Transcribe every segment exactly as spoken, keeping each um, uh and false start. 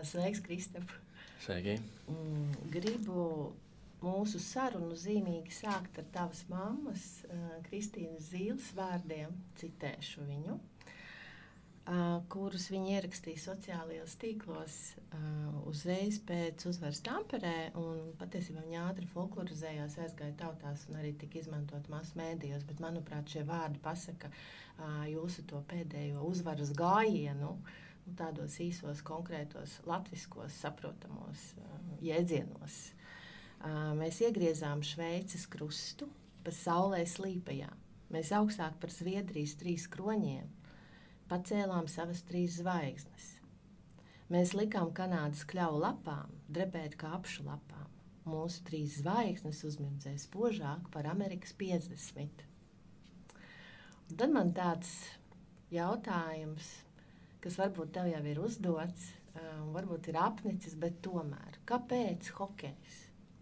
Sveiks, Kristap. Sveiki. Gribu mūsu sarunu zīmīgi sākt ar tavas mammas, Kristīnas Zīles vārdiem, citēšu viņu, kurus viņa ierakstīja sociālajos tīklos uzreiz pēc uzvaras Tamperē, un patiesībā viņa ātri folklorizējās, aizgāja tautās un arī tika izmantot masu mēdījos, bet, manuprāt, šie vārdi pasaka jūsu to pēdējo uzvaras gājienu, tādos īsos, konkrētos, latviskos, saprotamos uh, jēdzienos. Uh, mēs iegriezām Šveices krustu pa saulē slīpajā. Mēs augstāk par Zviedrijas trīs kroņiem pacēlām savas trīs zvaigznes. Mēs likām Kanādas kļavu lapām drebēt kā apšu lapām. Mūsu trīs zvaigznes uzmirdzēja spožāk par Amerikas piecdesmit. Un tad man tāds jautājums, kas varbūt tev jau ir uzdots, um, varbūt ir apnicis, bet tomēr, kāpēc hokejs?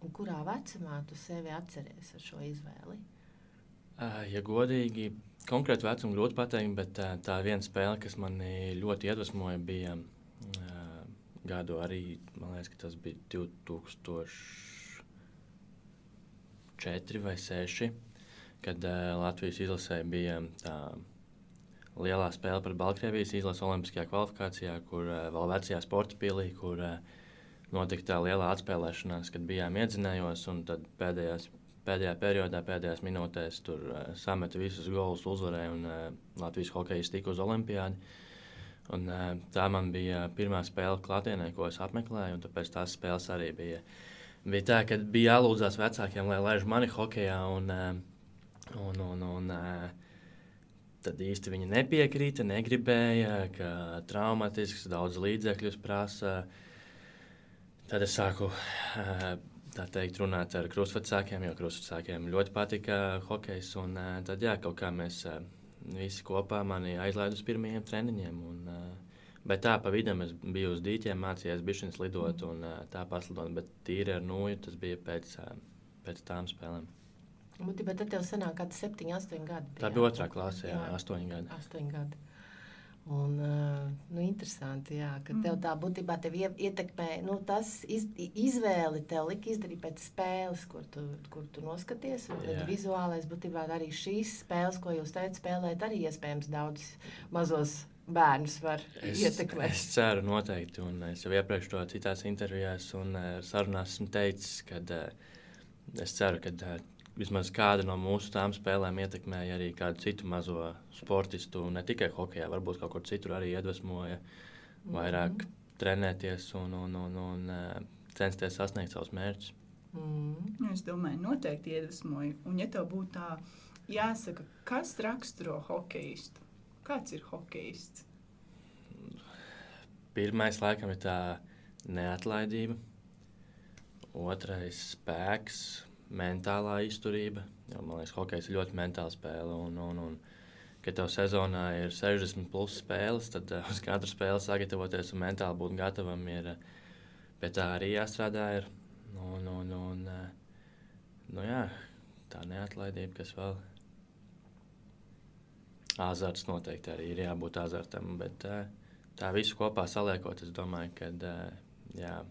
Un kurā vecumā tu sevi atceries ar šo izvēli? Uh, ja godīgi, konkrēti vecumu grūti pateikt, bet uh, tā viena spēle, kas mani ļoti iedvesmoja, bija uh, gadu arī, man liekas, ka tas bija divi tūkstoši četri vai seši, kad uh, Latvijas izlasē bija tā lielā spēle par Baltkrievijas izlases olimpiskajā kvalifikācijā, kur uh, vēl vecajā sporta pilī, kur uh, notika tā lielā atspēlēšanās, kad bijām iedzinējos, un tad pēdējās, pēdējā periodā, pēdējās minūtēs tur uh, sameta visus golus, uzvarēja, un uh, Latvijas hokejs tika uz olimpiādi. Un, uh, tā man bija pirmā spēle klātienē, ko es apmeklēju, un tāpēc tās spēles arī bija, bija tā, ka bija jālūdzās vecākiem, lai laiž mani hokejā, un, uh, un, un, un uh, tad īsti viņi nepiekrīta, negribēja, ka traumatisks, daudz līdzekļus prasa. Tad es sāku, tā teikt, runāt ar krustvecākiem, jo krustvecākiem ļoti patika hokejs. Un tad, jā, kaut kā mēs visi kopā mani aizlaid uz pirmajiem treniņiem. Un, bet tā, pa vidam es biju uz dīķiem, mācījos bišķiņas lidot un tā paslidot, bet tīri ar nūju tas bija pēc, pēc tām spēlēm. Būtībā tad tev sanāk kādi septiņi, astoņi gadi. Tā bija otrā klasē, jā, astoņi gadi. Astoņi gadi. Un, nu, interesanti, jā, ka tev tā būtībā tev ietekmē, nu, tas iz, izvēli tev lika izdarīt pēc spēles, kur tu, kur tu noskaties, un tad vizuālais būtībā arī šīs spēles, ko jūs teicat, spēlēt, arī iespējams daudz mazos bērnus var es, ietekmēt. Es ceru noteikti, un es jau iepriekš to citās intervijās un sarunās esmu teicis, kad es ceru, ka vismaz kāda no mūsu tām spēlēm ietekmēja arī kādu citu mazo sportistu, ne tikai hokejā, varbūt kaut kur citur arī iedvesmoja vairāk mm-hmm. trenēties un, un, un, un censties sasniegt savus mērķus. Mm. Es domāju, noteikti iedvesmoja. Un ja tev būtu tā jāsaka, kas raksturo hokejistu? Kāds ir hokejists? Pirmais laikam ir tā neatlaidība, otrais spēks, mentālā izturība, jo, man liekas, hokejs ir ļoti mentāla spēle, un, un, un kad tev sezonā ir sešdesmit plus spēles, tad uh, uz katru spēli sagatavoties un mentāli būt gatavam ir, uh, pie tā arī jāstrādā ir, un, un, un uh, nu jā, tā neatlaidība, kas vēl, azarts noteikti arī ir jābūt azartam, bet uh, tā visu kopā saliekot, es domāju, kad, uh, jā,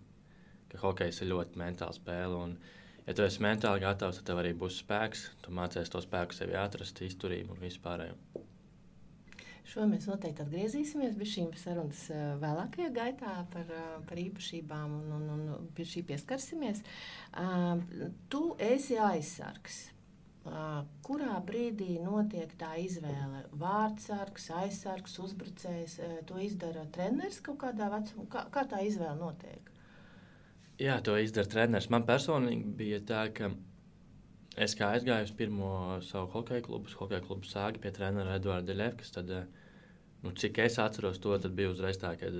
ka hokejs ir ļoti mentāla spēle, un ja tu esi mentāli gatavs, tad tev arī būs spēks. Tu mācies to spēku sevi atrast, izturību un visu pārējo. Šo mēs noteikti atgriezīsimies pie šīm sarunas vēlākajā gaitā par, par īpašībām un, un, un pie šī pieskarsimies. Uh, tu esi aizsargs. Uh, kurā brīdī notiek tā izvēle? Vārdsargs, aizsargs, uzbrucējs, uh, to izdara treneris kaut kādā vecumā? Kā, kā tā izvēle notiek? Jā, to izdara treneris. Man personīgi bija tā, ka es kā aizgāju uz pirmo savu hokeja klubu, hokeja klubu Sāgi pie trenera Eduarda Deļevkas, tad, nu, cik es atceros to, tad bija uzreiz tā, kad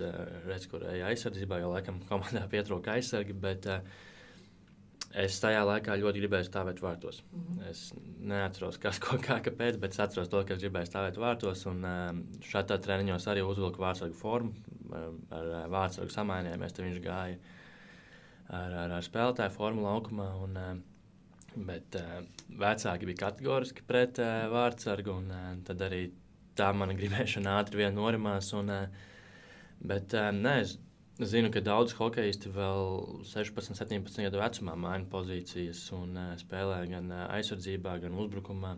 redz, kur eja aizsardzībā, jo laikam komandā pietrūka aizsargi, bet uh, es tajā laikā ļoti gribēju stāvēt vārtos. Mm-hmm. Es neatceros, kas, ko, kā, kāpēc, bet es atceros to, ka es gribēju stāvēt vārtos, un uh, šādā treniņos arī uzvilku vārtsargu formu, ar, ar vārtsargu samainījāmies, tad viņš gāja ar, ar, ar spēlētāju formu laukumā, un, bet uh, vecāki bija kategoriski pret uh, vārtsargu, un uh, tad arī tā mana gribēšana ātri vien norimās, un, uh, bet uh, ne, es Es zinu, ka daudz hokeisti vēl sešpadsmit, septiņpadsmit gadu vecumā maina pozīcijas un uh, spēlē gan uh, aizsardzībā, gan uzbrukumā.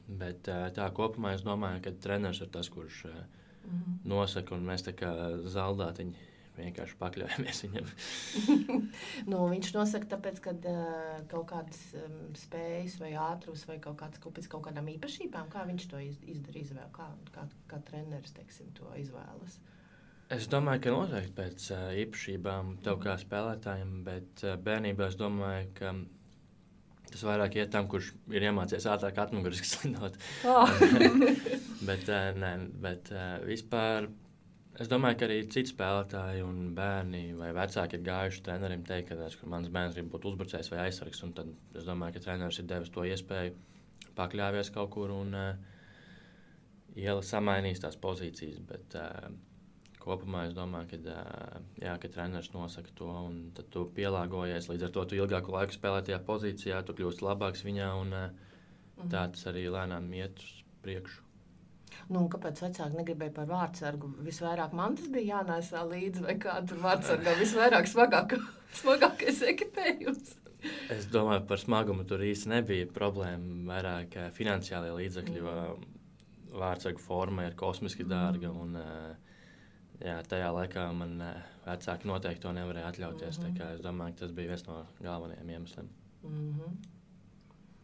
Bet uh, tā kopumā es domāju, ka treneris ir tas, kurš uh, mm-hmm. nosaka, un mēs tā kā zaldātiņi vienkārši pakļaujamies viņam. nu, viņš nosaka tāpēc, ka uh, kaut kādas um, spējas vai ātrums vai kaut kāds kupis kaut kādām īpašībām, kā viņš to iz, izdara izvēlu, kā, kā, kā treneris, teiksim, to izvēlas. Es domāju, ka noteikti pēc uh, īpašībām tev kā spēlētājiem, bet uh, bērnībā es domāju, ka tas vairāk iet tam, kurš ir iemācījies ātrāk atmuguriski slidot. Oh. bet uh, nē, bet uh, vispār es domāju, ka arī citi spēlētāji un bērni vai vecāki ir gājuši trenerim teikt, ka, ka mans bērns grib būt uzbrucējs vai aizsargs, un tad es domāju, ka treneris ir devis to iespēju pakļāvies kaut kur un uh, iela samainīs tās pozīcijas, bet uh, kopumā es domāju, ka, jā, ka treneris nosaka to, un tad tu pielāgojies. Līdz ar to tu ilgāku laiku spēlē tajā pozīcijā, tu kļūsti labāks viņā, un mm-hmm. tā tas arī lēnām iet uz priekšu. Nu, kāpēc vecāki negribēja par vārdsargu? Visvairāk man tas bija jānēsā līdzi, vai kā tur vārdsargā visvairāk smagāk, smagākais ekipējums? Es domāju, par smagumu tur īsti nebija problēma. Vairāk finansiālie līdzekļi, mm. vārdsargu forma ir kosmiski dārga, mm. un jā, tajā laikā man vecāki noteikti to nevarēja atļauties. Mm-hmm. Tā kā es domāju, ka tas bija viens no galvenajiem iemesliem. Mm-hmm.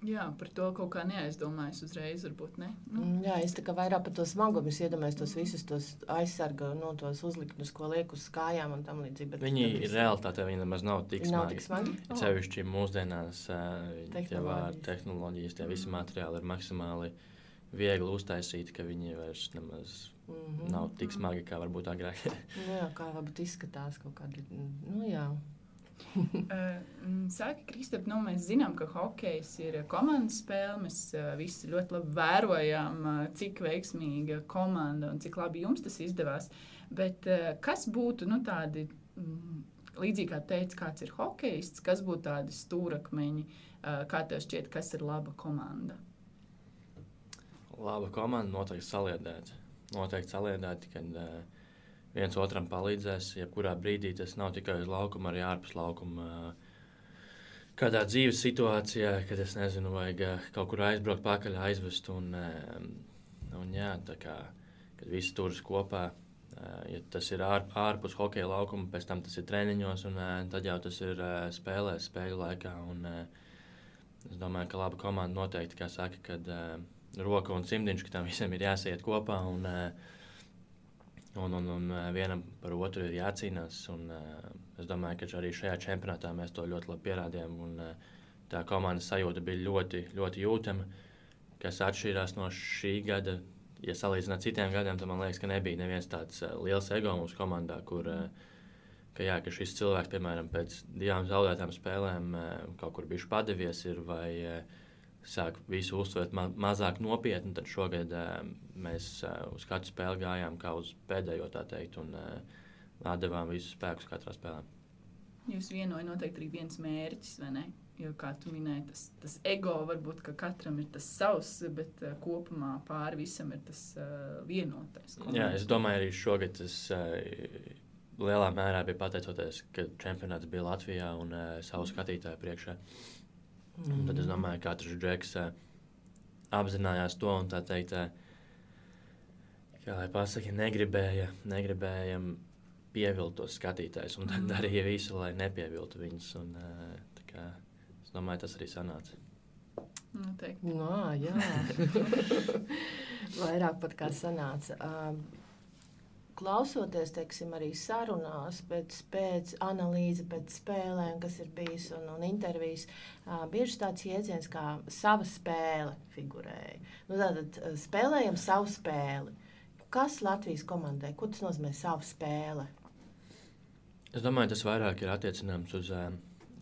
Jā, par to kaut kā neaizdomājas uzreiz, varbūt ne. Nu. Jā, es tā kā vairāk par to smagumu, es iedomājos tos visus tos aizsarga, no tos uzliknes, ko liek uz kājām un tam līdzīgi. Viņi ir realitātē, viņi nemaz nav tik smagi. Nav tik smagi? Oh. Cevišķi mūsdienās tehnoloģijas. tehnoloģijas, tie visi materiāli ir maksimāli viegli uztaisīti, ka viņi vairs nemaz mm-hmm. nav tik smagi, kā varbūt agrāk. nu, jā, kā varbūt izskatās kaut kādi, nu jā. uh, Saka, Kristap, nu, mēs zinām, ka hokejs ir komandas spēle, mēs uh, visi ļoti labi vērojām, uh, cik veiksmīga komanda un cik labi jums tas izdevās, bet uh, kas būtu, nu, tādi, mm, līdzīgi kā teica, kāds ir hokejists, kas būtu tādi stūrakmeņi, uh, kā tev šķiet, kas ir laba komanda? Laba komanda noteikti saliedēta. Noteikti saliedēta, kad uh, viens otram palīdzēs. Jebkurā brīdī tas nav tikai uz laukuma, arī ārpus laukuma. Uh, kādā dzīves situācijā, kad es nezinu, vajag uh, kaut kur aizbraukt pakaļ, aizvest. Un, uh, un jā, tā kā, kad visi turas kopā, uh, ja tas ir ār, ārpus hokeja laukuma, pēc tam tas ir treniņos, un uh, tad jau tas ir uh, spēlēs, spēļu laikā. Un, uh, es domāju, ka laba komanda noteikti, kā saka, kad uh, roka un cimdiņš, ka tam visam ir jāsiet kopā un, un, un, un vienam par otru ir jācīnās. Un, es domāju, ka arī šajā čempionātā mēs to ļoti labi pierādījām. Un, tā komandas sajūta bija ļoti, ļoti jūtama, kas atšķīrās no šī gada. Ja salīdzināt ar citiem gadiem, tad man liekas, ka nebija neviens tāds liels ego mums komandā, kur ka, jā, ka šis cilvēks, piemēram, pēc divām zaudētām spēlēm kaut kur bijuši padevies ir vai sāk visu uztvert ma mazāk nopietni, tad šogad uh, mēs uh, uz katru spēli gājām kā uz pēdējo, tā teikt, un uh, atdevām visus spēkus katrā spēlē. Jūs vienoja noteikti arī viens mērķis, vai ne? Jo, kā tu minēji, tas, tas ego varbūt, ka katram ir tas savs, bet uh, kopumā pāri visam ir tas uh, vienotais. Jā, es domāju, arī šogad tas uh, lielā mērā bija pateicoties, ka čempionāts bija Latvijā un uh, savu skatītāju priekšā. Un tad es domāju, ka katrs džeks uh, apzinājās to un tā teikt, uh, kā lai pasaka, negribēja, negribēja pievilt tos skatītājus un tad darīja visu, lai nepieviltu viņus. Un, uh, tā kā, es domāju, tas arī sanāca. Noteikti. No, jā. Vairāk pat kā sanāca. Uh, Klausoties, teiksim, arī sarunās, pēc, pēc analīze, pēc spēlēm, kas ir bijis un, un intervijas, uh, bieži tāds jēdziens kā sava spēle figurēja. Nu, tātad spēlējam savu spēli. Kas Latvijas komandai? Ko tas nozīmē savu spēle? Es domāju, tas vairāk ir attiecināms uz uh,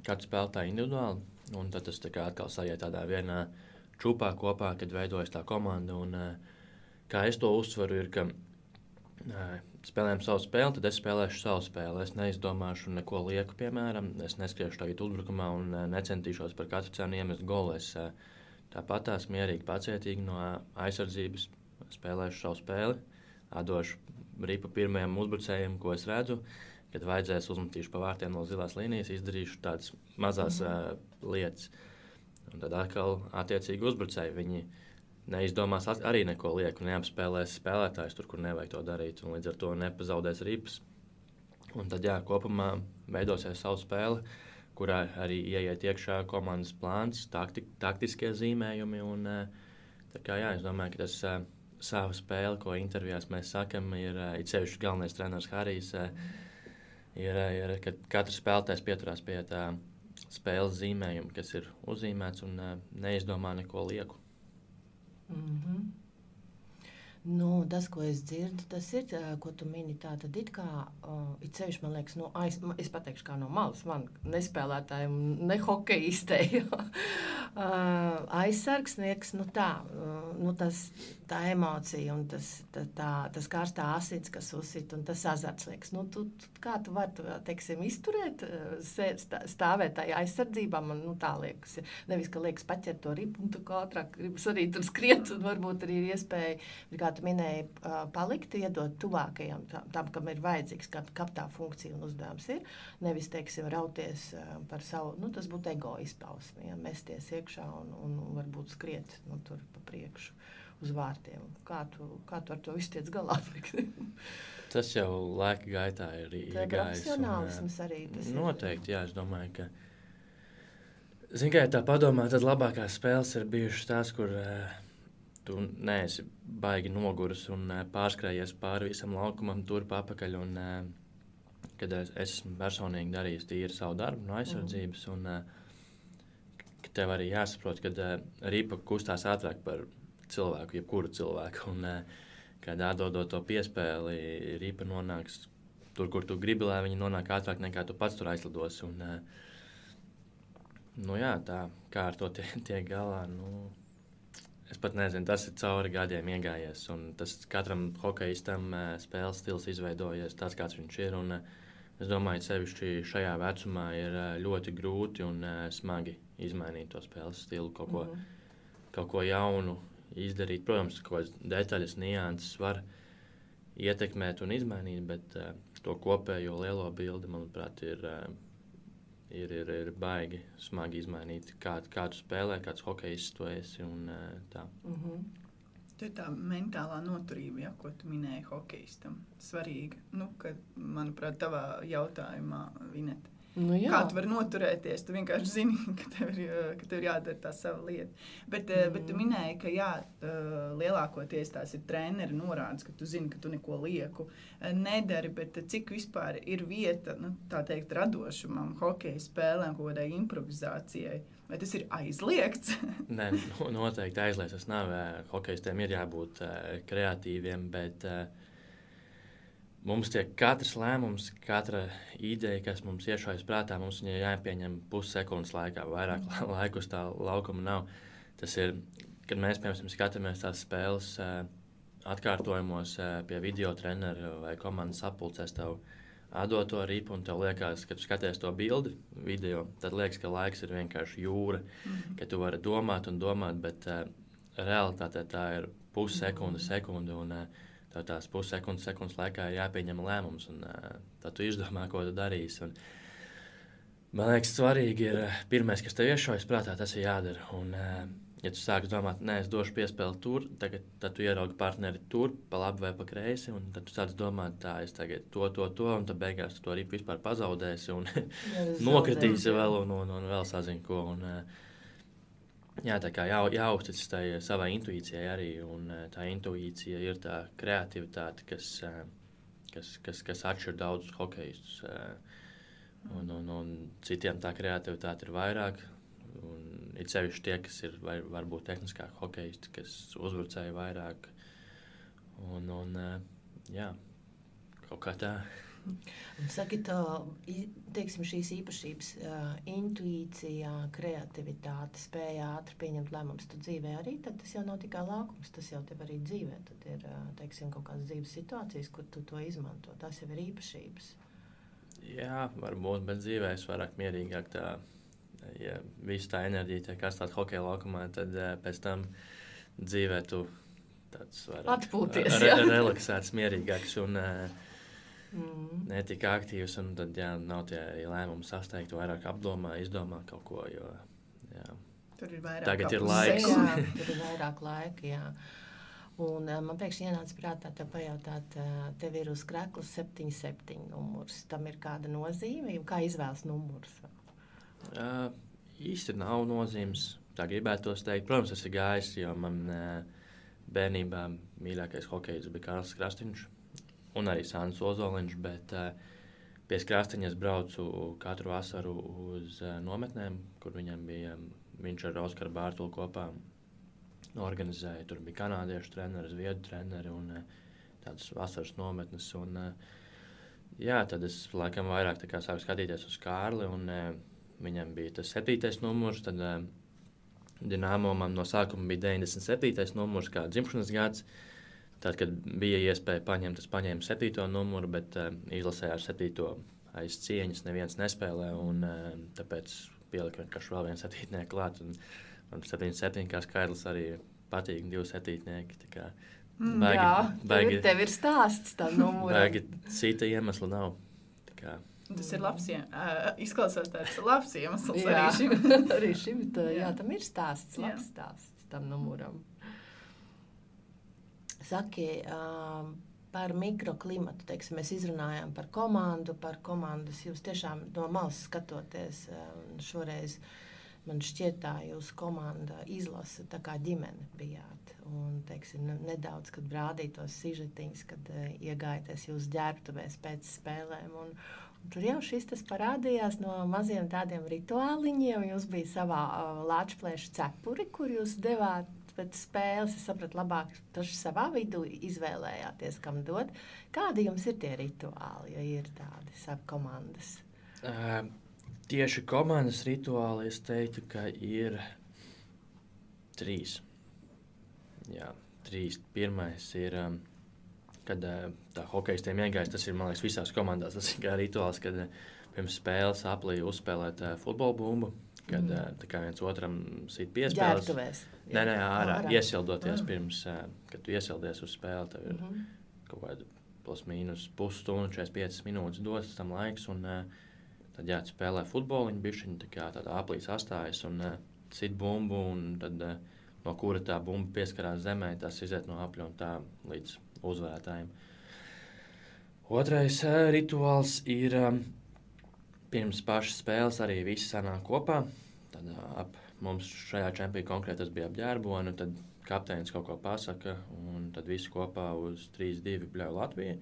katru spēlētāju individuāli, un tad tas tā kā atkal sajiet tādā vienā čupā kopā, kad veidojas tā komanda. Un, uh, kā es to uztveru, ir, ka spēlējam savu spēli, tad es spēlēšu savu spēli. Es neizdomāšu neko lieku, piemēram. Es neskriešu tagad uzbrukumā un necentīšos par katru cenu iemest golu. Es tāpat tās mierīgi, pacietīgi no aizsardzības spēlēšu savu spēli. Atdošu ripu pirmajam uzbrucējiem, ko es redzu. kad vajadzēs uzmetīšu pa vārtiem no zilās līnijas, izdarīšu tādas mazās mm-hmm. uh, lietas. Un tad atkal attiecīgi uzbrucēji, viņi neizdomās arī neko lieku, neapspēlēs spēlētājs tur, kur nevajag to darīt, un līdz ar to nepazaudēs ripas. Un tad, jā, kopumā veidosies savu spēli, kurā arī ieiet iekšā komandas plāns, takti, taktiskie zīmējumi. Un, tā kā, jā, es domāju, ka tas uh, sava spēle, ko intervijās mēs sakam, ir uh, it sevišķi galvenais treneris Harijs, uh, ir, ir, kad katrs spēlētājs pieturās pie tā spēles zīmējuma, kas ir uzzīmēts un uh, neizdomā neko lieku. Mm-hmm. Nu, tas, ko es dzirdu, tas ir, ko tu mini, tā tad it kā, uh, it sevišķi, man liekas, no aiz, es pateikšu kā no malas, man nespēlētājiem, ne hokejistei, uh, aizsargsnieks, nu tā, uh, nu tas, tā emocija un tas, tā, tā, tas karstā asins, kas uzsit un tas azarts liekas, nu, tu, tu, kā tu vari, tu, teiksim, izturēt, sēt, stāvēt tajā aizsardzībā, man, nu, tā liekas, nevis, ka liekas paķert to ripu un tu kā ātrāk gribas arī tur skriet un varbūt arī ir iespēja, kā tu minēji, palikt, iedot tuvākajam tam, tam kam ir vajadzīgs, kam, kam tā funkcija un uzdevums ir. Nevis, teiksim, rauties par savu, nu, tas būtu ego izpausme, ja, mesties iekšā un, un varbūt skriet, nu, tur pa priekšu uz vārtiem. Kā tu, kā tu ar to visu tiec galā? Tas jau laika gaitā ir iegājis. Tā profesionālisms arī tas noteikti, ir. Jā, es domāju, ka zin, kā ja tā padomā, tad labākās spēles ir bijušas tās, kur tu neesi baigi noguris un uh, pārskrējies pāri visam laukumam, turp apakaļ. Un, uh, kad es, es esmu personīgi darījis tīri savu darbu no aizsardzības, un uh, ka tev arī jāsaprot, kad uh, ripa kustās ātrāk par cilvēku, jebkuru cilvēku. Un, uh, kad atdodot to piespēli, ripa nonāks tur, kur tu gribi, lai viņi nonāk ātrāk nekā tu pats tur aizlidos. Un, uh, nu jā, tā kā ar to tiek tie galā, nu... Es pat nezinu, tas ir cauri gadiem iegājies, un tas katram hokejistam uh, spēles stils izveidojies tāds, kāds viņš ir, un uh, es domāju, sevišķi šajā vecumā ir uh, ļoti grūti un uh, smagi izmainīt to spēles stilu, kaut ko, mm-hmm. kaut ko jaunu izdarīt. Protams, kaut kādas detaļas, nianses var ietekmēt un izmainīt, bet uh, to kopējo lielo bildi, manuprāt, ir... Uh, Ir, ir, ir baigi smagi izmainīt, kā, kā tu spēlē, kāds hokejists tu esi un tā. Mm-hmm. Tā ir tā mentālā noturība, ja, ko tu minēji hokejistam. Svarīga, nu, ka, manuprāt, tavā jautājumā, Vineta. Nu, jā. Kā tu vari noturēties, tu vienkārši zini, ka tev ir, ka tev ir jādara tā sava lieta. Bet, mm. bet tu minēji, ka jā, lielākoties tās ir treneri norādes, ka tu zini, ka tu neko lieku nedari, bet cik vispār ir vieta, nu, tā teikt, radošumam, hokeja spēlēm, kaut kādai improvizācijai. Vai tas ir aizliegts? Nē, noteikti aizliegts. Tas nav. Hokejistiem ir jābūt kreatīviem, bet... Mums tiek katrs lēmums, katra ideja, kas mums iešaujas prātā, mums viņai jāpieņem pussekundes laikā, vairāk mm. laiku uz tā laukuma nav. Tas ir, kad mēs, piemēram, skatāmies tās spēles atkārtojumos pie video trenera vai komandas sapulcēs, tev atdod to ripu un tev liekas, kad tu skaties to bildi video, tad liekas, ka laiks ir vienkārši jūra, mm. ka tu vari domāt un domāt, bet uh, realitātē tā ir pussekunde, mm. sekunde un uh, tā tās pussekundes, sekundes laikā ir jāpieņem lēmums, un uh, tad tu izdomā, ko tu darīsi. Un, man liekas, svarīgi ir, uh, pirmais, kas tev iešaujas prātā, tas ir jādara. Un, uh, ja tu sāki domāt, nē, es došu piespēli tur, tagad, tad tu ieraugi partneri tur, pa labi vai pa kreisi, un tad tu sāc domāt, tā, es tagad to, to, to, un tad beigās tu to ripu vispār pazaudēsi, un nokritīsi vēl, un, un, un vēl sazini ko. Un, uh, Jā, tā kā jā, jāuzticas tai savai intuīcijai arī, un tā intuīcija ir tā kreativitāte, kas, kas, kas, kas atšķir daudzus hokejistus. Un, un, un citiem tā kreativitāte ir vairāk, un ir sevišķi tie, kas ir var, varbūt tehniskāk hokejisti, kas uzbrucēji vairāk. Un, un jā, kaut kā tā. Saki, tā, teiksim, šīs īpašības, uh, intuīcija, kreativitāte, spēja ātri pieņemt lēmumus tu dzīvē arī, tad tas jau nav tikai laukums, tas jau tev arī dzīvē. Tad ir, uh, teiksim, kaut kādas dzīves situācijas, kur tu to izmanto. Tas jau ir īpašības. Jā, varbūt, bet dzīvē es vairāk mierīgāk tā, ja visu tā enerģija tiek atstāt hokeja laukumā, tad uh, pēc tam dzīvē tu tāds vairāk atpūties, re, relaksēts, mierīgāks un... Uh, Mm. ne tik aktīvs, un tad, jā, nav tie lēmumi sasteigti, vairāk apdomā, izdomā kaut ko, jo, jā. Tur ir vairāk Tagad ir apus laiks. seju. Jā, tur ir vairāk laika, jā. Un uh, man pēkšņi ienāca prātā tev pajautāt, uh, tev ir uz kreklas septiņi septiņi numurs. Tam ir kāda nozīme, jo kā izvēlas numurs? Uh, īsti nav nozīmes, tā gribētos teikt. Protams, tas ir gājis, jo man uh, bērnībā mīļākais hokejs bija Kārlis Krastīņš un arī Sānis Ozoliņš, bet uh, pie Krastīņa es braucu katru vasaru uz uh, nometnēm, kur viņam bija, um, viņš ar Oskaru Bārtulu kopā organizēja. Tur bija kanādiešu treneri, zviedru treneri un uh, tādas vasaras nometnes. Un, uh, jā, tad es laikam vairāk tā kā sāku skatīties uz Kārli, un uh, viņam bija tas septītais numurs, tad uh, Dinamo man no sākuma bija deviņdesmit septītais numurs, kā dzimšanas gads. Tad, kad bija iespēja paņemt, es paņēmu septīto numuru, bet uh, izlasē ar septīto aiz cieņas neviens nespēlē, un uh, tāpēc pieliku vienkārši vēl vienu septītnieku klāt. Un man septiņi septiņi kā skaidrs arī patīk, divi septītnieki. Tā kā Mm, baigi, jā, tev, baigi, ir, tev ir stāsts tam numuram. baigi cita iemesla nav. Tā kā, Tas ir labs, iem- ā, izklausās tāds labs iemesls Jā. arī šim. Arī šim, tā, jā, Jā. tam ir stāsts, Jā. labs stāsts tam numuram. Saki, um, par mikroklimatu, teiksim, mēs izrunājām par komandu, par komandas, jūs tiešām no malas skatoties, um, šoreiz man šķiet tā jūsu komanda izlasa tā kā ģimene bijāt. Un, teiksim, ne- nedaudz, kad brādītos sižetiņas, kad uh, iegājaties jūs ģērbtuvēs pēc spēlēm. Un, un tur jau šis tas parādījās no maziem tādiem rituāliņiem. Jūs bija savā uh, lāčplēša cepuri, kur jūs devāt pēc spēles. Es sapratu labāk, taču savā vidū izvēlējāties, kam dot. Kādi jums ir tie rituāli, ja ir tādi savi komandas? uh, tieši komandas rituāli es teiktu, ka ir trīs. Jā, trīs. Pirmais ir, um, kad uh, tā hokejistiem iegājas, tas ir, man liekas, visās komandās. Tas ir kā rituāls, kad uh, pirms spēles aplī uzspēlēt uh, futbola bumbu, kad Mhm. uh, tā kā viens otram sit piespēles. Ģērbtuvēs. Nē, nē, ārā, Ārā. iesildoties Ah. pirms, uh, kad tu iesildies uz spēli, tev ir Mhm. kaut kāda plus mīnus pusstundu, četrdesmit piecas minūtes dots tam laiks, un uh, tad jā, tu spēlē futboliņu bišķiņu, tā kā tādā aplī sastājas un uh, sit bumbu, un tad uh, no kura tā bumba pieskarās zemē, tas iziet no apļa un tā līdz uzvarētājiem. Otrais uh, rituāls ir um, pirms pašas spēles arī visi sanāk kopā. Tad uh, ap mums šajā čempionā konkrēti tas bija ap ģērboni, tad kapteinis kaut ko pasaka, un tad visi kopā uz trīs divi bļauj Latviju,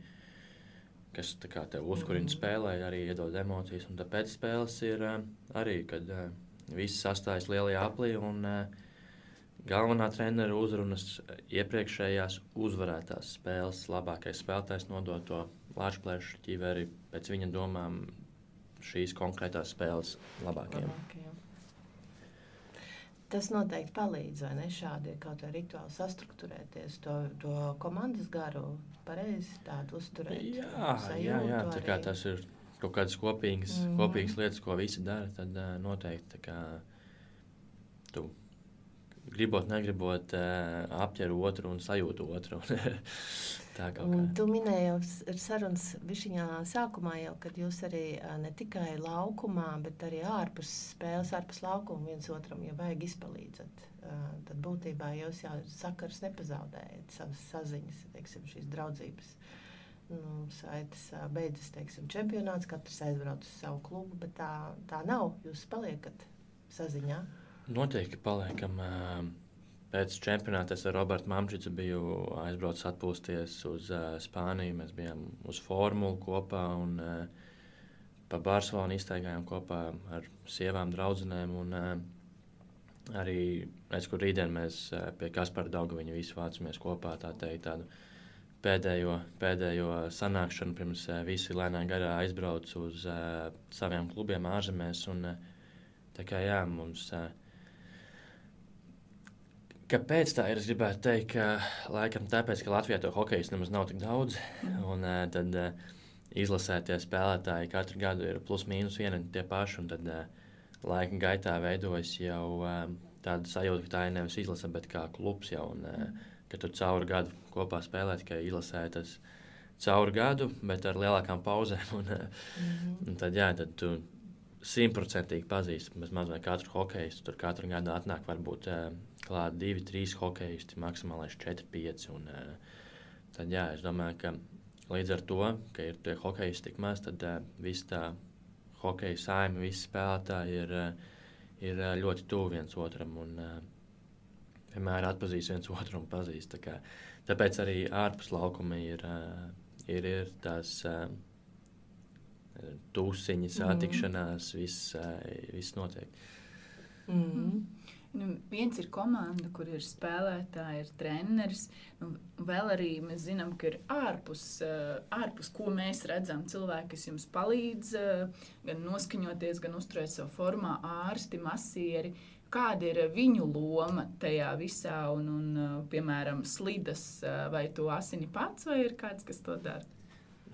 kas tā kā tev uzkurina Mhm. spēlē, arī iedod emocijas. Un tad pēc spēles ir uh, arī, kad uh, visi sastājas lielajā aplī, un uh, galvenā trenera uzrunas iepriekšējās uzvarētās spēles labākais spēlētājs nodot to lāčplēšu ķiveri pēc viņa domām šīs konkrētās spēles labākajiem. Labākajiem. Tas noteikti palīdz, vai ne? Šādi ir kaut kā rituāli sastruktūrēties, to, to komandas garu pareizi tādu uzturēt. Jā, jā, sajūtu jā, tā kā arī. tas ir kaut kādas kopīgas, mm Mhm. -hmm. kopīgas lietas, ko visi dara, tad uh, noteikti tā kā tu gribot, negribot, uh, apķer otru un sajūtu otru. Tā kaut Un kā. tu minēji jau s- ar sarunas višiņā sākumā jau, kad jūs arī ā, ne tikai laukumā, bet arī ārpus spēles, ārpus laukuma viens otram, ja vajag izpalīdzat. Ā, Tad būtībā jūs jau sakars nepazaudējat savas saziņas, teiksim, šīs draudzības. Nu, saites ā, beidzas, teiksim, čempionāts, katrs aizbrauc uz savu klubu, bet tā, tā nav. Jūs paliekat saziņā. Noteikti paliekam. Uh, pēc čempionāta es ar Robertu Mamčicu biju aizbraucis atpūsties uz uh, Spāniju. Mēs bijām uz formulu kopā un uh, pa Barcelonu iztaigājām kopā ar sievām, draudzenēm. Un, uh, arī es, kur rītdien mēs uh, pie Kaspara Daugaviņa visi vācamies kopā, tā teikt, tādu pēdējo, pēdējo sanākšanu, pirms uh, visi lēnā garā aizbrauc uz uh, saviem klubiem ārzemēs. Un, uh, tā kā jā, mums... Uh, Kāpēc tā ir? Es gribētu teikt, ka laikam tāpēc, ka Latvijā to hokejas nemaz nav tik daudz. Un uh, tad uh, izlasētie spēlētāji katru gadu ir plus mīnus vieni un tie paši. Un tad uh, laika gaitā veidojas jau uh, tāda sajūta, ka tā ir nevis izlase, bet kā klubs jau. Un, uh, ka tu cauri gadu kopā spēlē, ka izlasē tas cauri gadu, bet ar lielākām pauzēm. Un, mm-hmm. un tad, jā, tad tu simtprocentīgi pazīsti bezmaz vai katru hokeistu. Tur katru gadu atnāk varbūt klāt divi, trīs hokeisti, maksimālais četri, pieci. Un, tad, jā, es domāju, ka līdz ar to, ka ir tie hokeisti tik maz, tad viss tā hokeja saime, visi spēlētāji ir, ir ļoti tuvu viens otram un vienmēr atpazīst viens otru un pazīst. Tā kā, tāpēc arī ārpus laukuma ir, ir, ir tās tūsiņas, satikšanās, mm. viss, viss notiek. Mm. Nu, viens ir komanda, kur ir spēlētāji, ir treneris. Nu, vēl arī mēs zinām, ka ir ārpus, ārpus, ko mēs redzam, cilvēki, kas jums palīdz gan noskaņoties, gan uzturēt savu formā, ārsti, masieri. Kāda ir viņu loma tajā visā un, un piemēram, slidas, vai tu asini pats, vai ir kāds, kas to dara?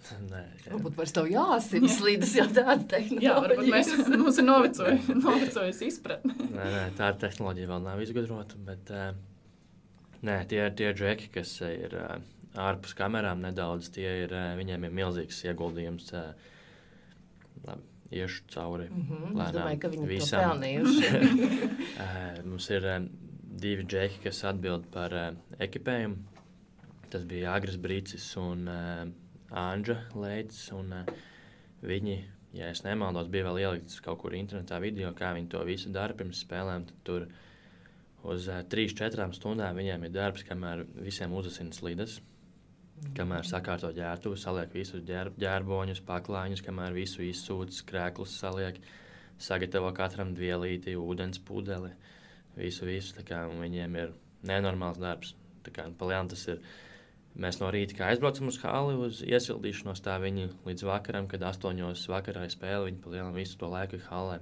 Nē, varbūt vairs tev jāsina slīdas jau tāda tehnoloģija. Jā, varbūt mēs, mums ir novecojusi, novecojusi izpratne. Nē, nē, tāda tehnoloģija vēl nav izgudrota, bet uh, nē, tie ir tie džeki, kas ir uh, ārpus kamerām nedaudz, tie ir, uh, viņiem ir milzīgs ieguldījums. Uh, labi, iešu cauri mm-hmm, lēnām. Es domāju, ka viņi visam. To pelnījuši. uh, mums ir uh, divi džeki, kas atbild par uh, ekipējumu. Tas bija Agris Brīcis un uh, Anģa Leids, un uh, viņi, ja es nemaldos, bija vēl ielikts kaut kur internetā video, kā viņi to visu dara pirms spēlēm, tad tur uz uh, trīs četrām stundām viņiem ir darbs, kamēr visiem uzasina slidas, mm-hmm. kamēr sakārto ģērtuvu, saliek visus ģēr, ģērboņus, paklāņus, kamēr visu izsūc, krēklus saliek, sagatavo katram dvielīti, ūdens pudeli, visu, visu, tā kā viņiem ir nenormāls darbs, tā kā palielām tas ir. Mēs no rīta, kā aizbraucam uz hali, uz iesildīšanos, tā viņi līdz vakaram, kad astoņos vakarā spēle, viņi palielam visu to laiku halē.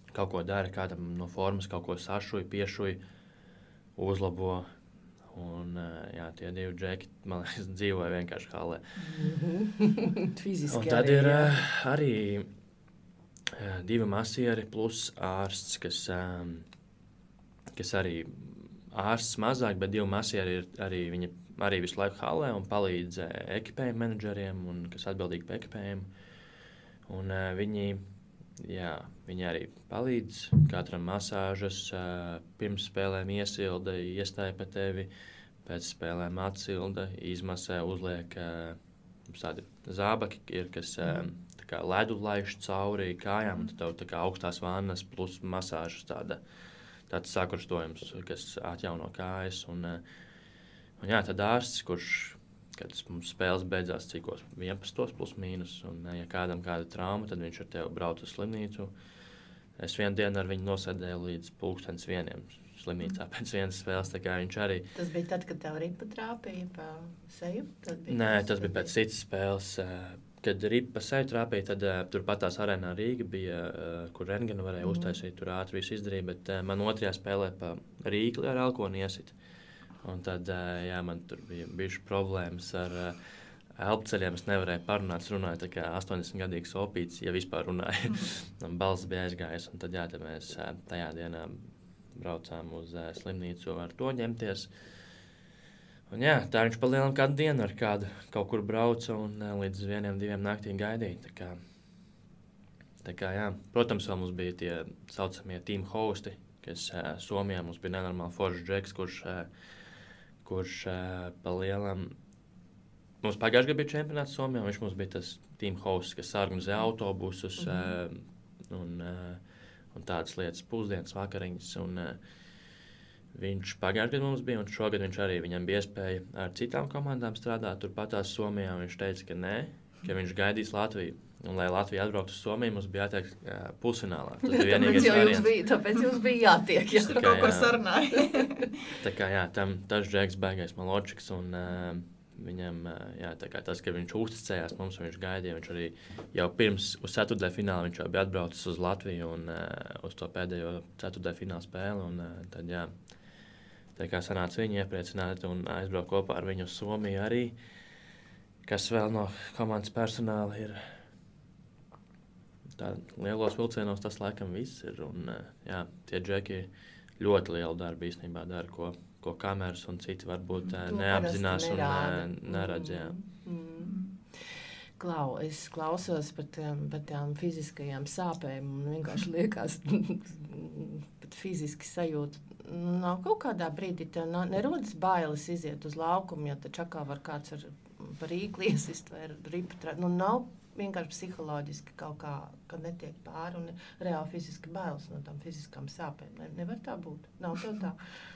Kaut ko dara, kādam no formas, kaut ko sašuja, piešuja, uzlabo. Un, jā, tie divi džeki, man liekas, dzīvoja vienkārši halē. Mm-hmm. Fiziski un tad arī, ir jā. arī jā, divi masieri plus ārsts, kas, kas arī ārsts mazāk, bet divi masieri ir arī viņi arī visu laiku halē un palīdz uh, ekipējumu menedžeriem, un, kas atbildīgi par ekipējumu. Un uh, viņi, jā, viņi arī palīdz katram masāžas, uh, pirms spēlēm iesilda, iestāja pa tevi, pēc spēlēm atsilda, izmasē, uzliek uh, tādi zābaki, ir, kas uh, tā kā ledu laiž cauri kājām, un tev tā kā augstās vannas plus masāžas tāda, tāds sakurstojums, kas atjauno kājas. Un, uh, Un jā, tad ārsts, kurš, kad mums spēles beidzās cikos vienpadsmitos plus mīnus, un ja kādam kāda trauma, tad viņš ar tevi brauc uz slimnīcu. Es vienu dienu ar viņu nosēdēju līdz pulkstens vieniem slimnīcā pēc vienas spēles, tā kā viņš arī... Tas bija tad, kad tev ripa trāpīja pa seju? Nē, tas bija pēc citas spēles. Kad ripa pa seju trāpīja, tad uh, turpat tās arēnā Rīga bija, uh, kur rentgenu varēja mm. uztaisīt, tur ātri visu izdarīja, bet uh, man otrajā spēlē pa Rīkli ar elkoni iesita. Un tad, jā, man tur bija bijuši problēmas ar uh, elpceļiem. Es nevarēju parunāt, runāju tā kā astoņdesmitgadīgs opīts, ja vispār runāju. Mm. Balss bija aizgājis, un tad, jā, tad mēs uh, tajā dienā braucām uz uh, slimnīcu ar to ņemties. Un jā, tā viņš palielam kādu dienu ar kādu kaut kur brauca un uh, līdz vieniem, diviem naktīm gaidīja. Tā kā, tā kā, jā. Protams, vēl mums bija tie saucamie team hosti, kas uh, Somijā mums bija nenormāli foršs džeks, kurš... Uh, kurš uh, pa lielam... Mums pagājušajā gadā bija čempionāts Somijā, viņš mums bija tas team hosts, kas organizē autobusus mm-hmm. uh, un, uh, un tādas lietas, pusdienas, vakariņas. Un, uh, viņš pagājušajā gadā mums bija, un šogad viņš arī viņam bija iespēja ar citām komandām strādāt. Turpatās Somijā viņš teica, ka nē, ka viņš gaidīs Latviju. Un, lai Latvija atbrauktu uz Somiju, mums bija jātiek uh, pusfinālā. Tas bija vienīgais variants. Bija, tāpēc jums bija jātiek, ja tur kaut ko sarunāja. Tā kā, jā, tam tas džeks baigais Maločiks, un uh, viņam, uh, jā, tā kā tas, ka viņš uzticējās mums, un viņš gaidīja, viņš arī jau pirms uz ceturtdaļu fināla viņš jau bija atbraucis uz Latviju un uh, uz to pēdējo ceturtdaļu fināla spēli, un uh, tad, jā, tā kā sanāca viņu iepriecināt un aizbraukt kopā ar viņu uz Somiju arī, kas vēl no komandas personāla ir... Tā, lielos vilcienos tas laikam viss ir, un jā, tie džeki ļoti lielu darbu īstenībā dara, ko, ko kameras un citi varbūt mm, neapzinās un neredz, jā. Mm. Klau, es klausos par tām, par tām fiziskajām sāpēm un vienkārši liekas, pat fiziski sajūta. Nav kaut kādā brīdī tev nerodas bailes iziet uz laukumu, jo taču atkal var kāds ar par rīkli iesist vai ripu trāt. Nu, nav vienkārši psiholoģiski kaut kā, kad netiek pāri un reāli fiziski bailes no tām fiziskām sāpēm. Ne, nevar tā būt. Nav tev tā.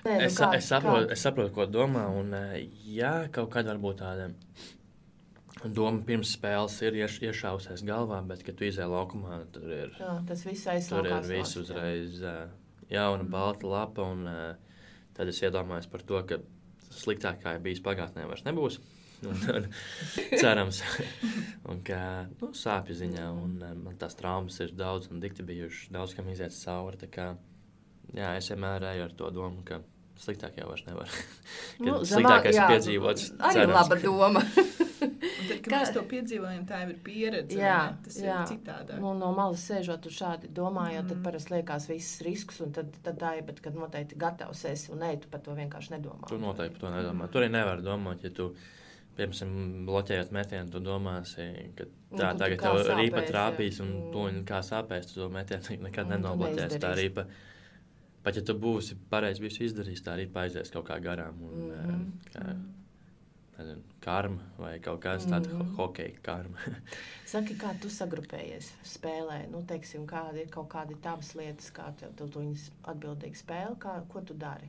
Nē, nu, es, kā, es, saprotu, kā... es saprotu, ko domā, un jā, kaut kāda varbūt tāda doma pirms spēles ir ieš, iešausies galvā, bet, kad tu izēj laukumā, tur ir, jā, tas viss aizsākās. Tur ir viss uzreiz jauna, mm. balta lapa, un tad es iedomājos par to, ka sliktāk, kā ir bijis pagātnē, vairs nebūs. Un, un, cerams, un ka nu, sāpju ziņā, un man tās traumas ir daudz un dikti bijušas, daudz, kam iziet cauri. Tā kā, jā, es vienmēr eju ar to domu, ka sliktāk jau vairs nevar. Nu, sliktākais ir piedzīvots. Arī cerams, laba doma. Un tad, kad Kā... mēs to piedzīvojam, tā jau ir pieredze. Jā, tas jā. ir citādāk. Nu, no malas sēžot un šādi domājot, mm. tad parasti liekas visas riskus, un tad, tad tā ir, bet kad noteikti gatavs esi un ej, tu par to vienkārši nedomā. Tu noteikti par to nedomā. Tu arī nevar domāt, ja tu, piemēram, bloķējot metienu, tu domāsi, ka tā un, tagad tev sāpēs, rīpa trāpīs, un mm. tu kā sāpēs, tu to metienu nekad mm, nenobloķēsi. Tā rīpa, pat ja tu būsi pareizi visu izdarījis, tā rīpa aizies kaut kā garām. Un, mm. kā, nezinu, karma vai kaut kāds tāds mm. ho hokeja karma. Saki, kā tu sagrupējies spēlē? Nu, teiksim, kādi ir kaut kādi tavas lietas, kā tev, tev tu viņas atbildīgi spēle, kā, ko tu dari?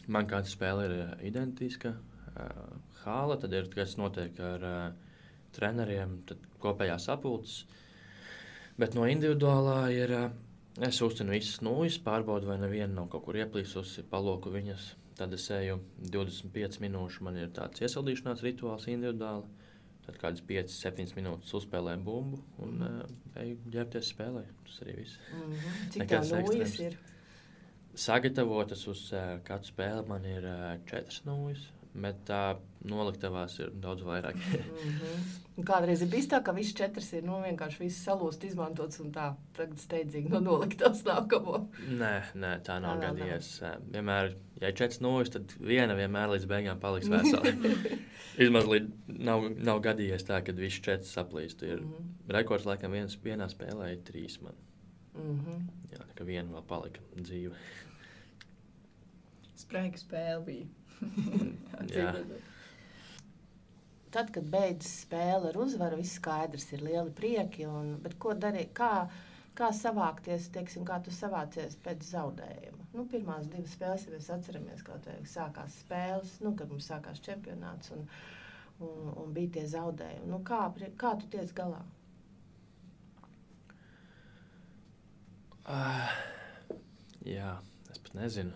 Man kāda spēle ir identiska. Uh, hāla, tad ir, kas notiek ar uh, treneriem, tad kopējās sapulces. Bet no individuālā ir, uh, es uztinu visas nulles, pārbaudu, vai neviena nav kaut kur ieplīsusi, paloku viņas. Tad es eju divdesmit piecas minūšu, man ir tāds iesildīšanās rituāls individuāli. Tad kādas piecas septiņas minūtes uzspēlēju bumbu un uh, eju ģērbties spēlē. Tas arī viss. Mm-hmm. Cik tev nulles ir? Sagatavotas uz uh, katru spēli man ir uh, četras nulles, bet tā noliktavās ir daudz vairāk. mm-hmm. Kādreiz ir bijis tā, ka viss četras ir nu, vienkārši viss salūst, izmantots un tā tagad steidzīgi no noliktavas nākamo. Nē, nē, tā nav tā, gadījies. Nav. Vienmēr, ja ir četras nulles, tad viena vienmēr līdz beigām paliks vesela. Vismaz līdz nav, nav gadījies tā, kad viss četras saplīst. Ir mm-hmm. rekords laikam viens, vienā spēlē ir trīs man. Mm-hmm. Jā, tā kā viena vēl palika dzīve. Spraiga spēle bija. Jā. Tad, kad beidzas spēle ar uzvaru, viss skaidrs, ir lieli prieki. Un, bet ko darīt? Kā, kā savākties, teiksim, kā tu savācies pēc zaudējuma? Nu, pirmās divas spēles, ja mēs atceramies, kā te sākās spēles, nu, kad mums sākās čempionāts un, un, un bija tie zaudējumi. Nu, kā, kā tu tiec galā? Uh, jā, es pat nezinu.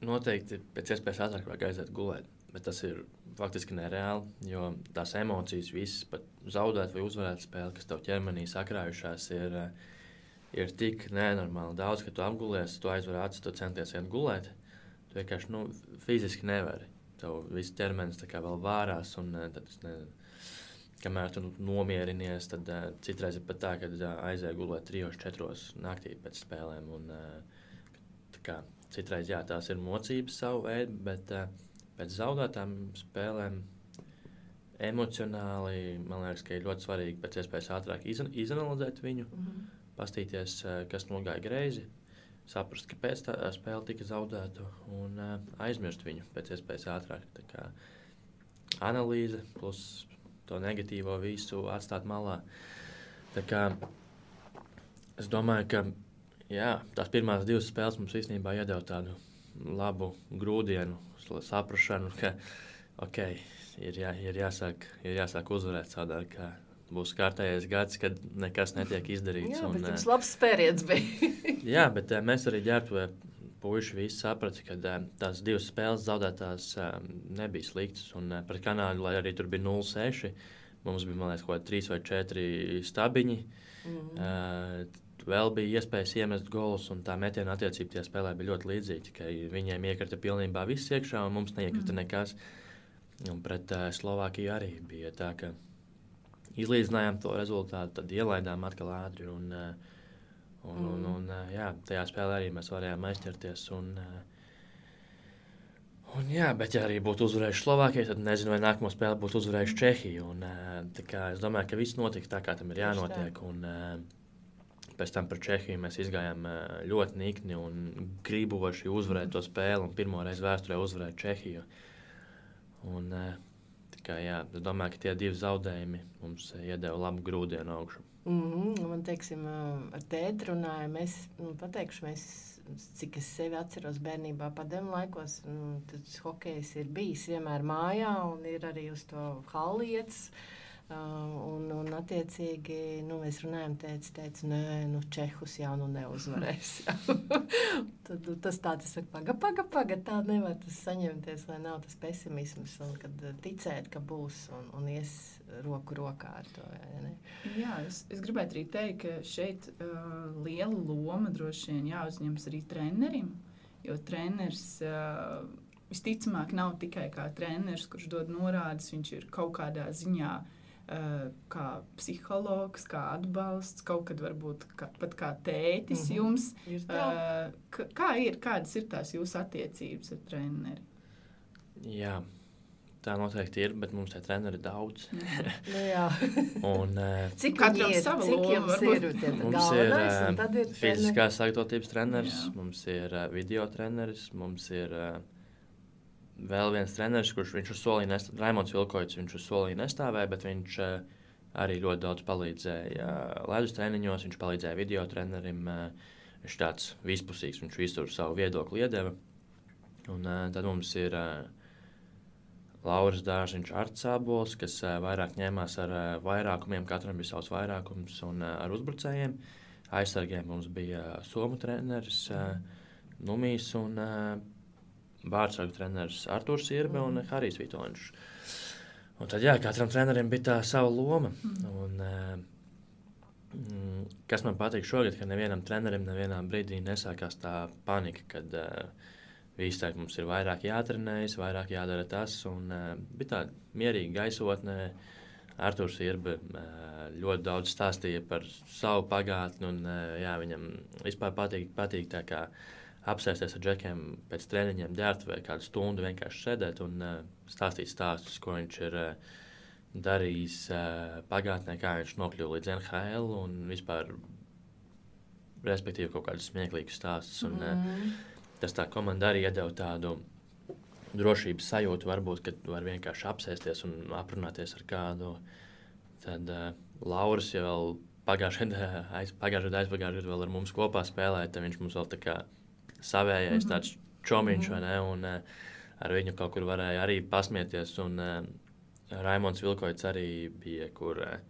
Noteikti pēc iespējas ātrāk vajag aiziet gulēt, bet tas ir faktiski nereāli, jo tās emocijas visas, pat zaudēt vai uzvarēt spēli, kas tev ķermenī sakrājušās, ir, ir tik nenormāli daudz, ka tu apgulies, tu aizver acis, tu centies iet gulēt, tu vienkārši, nu, fiziski nevari. Tev viss ķermenis tā kā vēl vārās, un tad, nezinu, kamēr tu nomierinies, tad uh, citreiz ir pat tā, ka uh, aizēja gulēt trijos, četros naktī pēc spēlēm, un uh, tā kā citreiz, jā, tās ir mocības savu veidu, bet uh, pēc zaudētām spēlēm emocionāli, man liekas, ka ir ļoti svarīgi pēc iespējas ātrāk iz, izanalizēt viņu, mm-hmm. pastīties, uh, kas nogāja greizi, saprast, kāpēc tā spēle tika zaudēta un uh, aizmirst viņu pēc iespējas ātrāk. Tā kā analīze plus to negatīvo visu atstāt malā. Tā kā es domāju, ka jā, tās pirmās divas spēles mums īstenībā iedeva tādu labu grūdienu, saprašanu, ka okay, ir, jā, ir, jāsāk, ir jāsāk uzvarēt savādāk, ka būs kārtējais gads, kad nekas netiek izdarīts. Jā, un, bet jums labs spēriens bija. jā, bet mēs arī ģērbtuvē puiši visi saprata, ka tās divas spēles zaudētās nebija sliktas. Un pret Kanādu, lai arī tur bija nulle seši, mums bija, man liekas, kaut kādi trīs vai četri stabiņi. Mm-hmm. Uh, Vēl bija iespējas iemest golus, un tā metiena attiecība tie spēlē bija ļoti līdzīga, ka viņiem iekrita pilnībā viss iekšā, un mums neiekrita mm. nekas. Un pret uh, Slovākiju arī bija tā, ka izlīdzinājām to rezultātu, tad ielaidām atkal ātri, un, uh, un, mm. un, un uh, jā, tajā spēlē arī mēs varējām aizķerties, un, uh, un Jā, bet ja arī būtu uzvarējuši Slovākiju, tad nezinu, vai nākamo spēli būtu uzvarējuši Čehiju. Un, tā kā es domāju, ka viss notiks tā, kā tam ir jānotiek. Un, pēc tam par Čehiju mēs izgājām ļoti nikni un griboši uzvarēt to spēli un pirmo reizi vēsturē uzvarēt Čehiju. Un, tā kā, jā, es domāju, ka tie divi zaudējumi mums iedeva labu grūdienu augšu. Mm-hmm. Man, teiksim, ar tēti runāju, mēs, nu, pateikšu, mēs, cik es sevi atceros bērnībā padomu laikos, nu, tad hokejs ir bijis vienmēr mājā un ir arī uz to hallietas. Uh, un, un attiecīgi, nu, mēs runājam, tētis teica, nē, nu, Čehus jau nu neuzvarēs. Tad nu, tas tā, tas saka, paga, paga, paga, tā nevar tas saņemties, lai nav tas pesimisms, un kad ticēt, ka būs un, un ies roku rokā ar to. Ja, ne? Jā, es, es gribētu arī teikt, ka šeit uh, liela loma droši vien jāuzņems arī trenerim, jo treneris uh, visticamāk nav tikai kā treneris, kurš dod norādes, viņš ir kaut kādā ziņā kā psihologs, kā atbalsts, kaut kad varbūt kā, pat kā tētis mm-hmm. jums. Uh, kā ir, kādas ir tās jūsu attiecības ar treneri? Jā, tā noteikti ir, bet mums tie treneri ir daudz. Nu jā. Un, cik katram ir, sava cik loma ir? Mums ir, ir fiziskās sagatavotības treneris, jā. Mums ir uh, video treneris, mums ir uh, vēl viens treneris, kurš viņš uz solī nestāvēja, Raimonds Vilkoits, viņš uz solī nestāvēja, bet viņš uh, arī ļoti daudz palīdzēja uh, ledus treniņos, viņš palīdzēja video trenerim, uh, viņš tāds vispusīgs, viņš visur savu viedokli iedeva. Un uh, tad mums ir uh, Lauris Dārziņš, Arts Ābols, kas uh, vairāk ņēmās ar uh, vairākumiem, katram bija savs vairākums un uh, ar uzbrucējiem. Aizsargiem mums bija uh, somu treneris, uh, Numijs un uh, Bārtsargu treneris Artūrs Irbe mm. un Harijs Vitoņš. Un tad, jā, katram trenerim bija tā sava loma. Mm. Un, mm, kas man patīk šogad, ka nevienam trenerim nevienā brīdī nesākās tā panika, kad uh, visi teikt, mums ir vairāk jātrenējas, vairāk jādara tas. Un uh, bija tāda mierīga gaisotne. Artūrs Irbe uh, ļoti daudz stāstīja par savu pagātni, un uh, jā, viņam vispār patīk, patīk tā kā apsēsties ar džekiem pēc treniņiem, ģērt vai kādu stundu vienkārši sēdēt un uh, stāstīt stāstus, ko viņš ir uh, darījis uh, pagātnē, kā viņš nokļuva līdz N H L un vispār, respektīvi, kaut kādus smieklīgus stāstus. Un, mm. uh, tas tā komanda arī iedeva tādu drošības sajūtu, varbūt, kad var vienkārši apsēsties un aprunāties ar kādu. Tad uh, Lauris jau vēl pagājušajā aiz, pagājušajā aizpagājušajā vēl ar mums kopā spēlēja, tad viņš mums vēl tā kā savējais mm-hmm. tāds čomiņš, vai ne, un uh, ar viņu kaut kur varēja arī pasmieties, un uh, Raimonds Vilkoits arī bija, kur, uh,